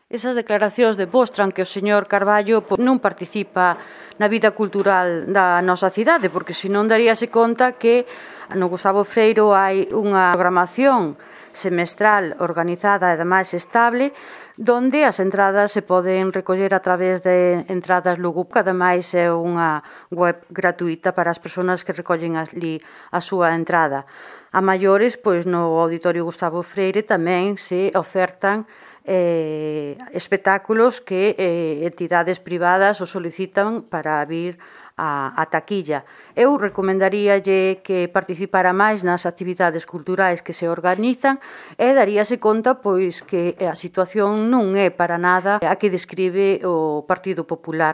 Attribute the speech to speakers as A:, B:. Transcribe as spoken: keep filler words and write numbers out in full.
A: Esas declaracións demostran que o señor Carballo non participa na vida cultural da nosa cidade, porque senón daríase conta que no Gustavo Freiro hai unha programación semestral organizada e ademais estable, donde as entradas se poden recoller a través de entradas Lugo, que ademais é unha web gratuita para as persoas que recollen ali a súa entrada. A maiores, pois no Auditorio Gustavo Freire tamén se ofertan eh, espectáculos que eh, entidades privadas o solicitan para vir a, a taquilla. Eu recomendaríalle que participara máis nas actividades culturais que se organizan e daríase conta pois que a situación non é para nada a que describe o Partido Popular.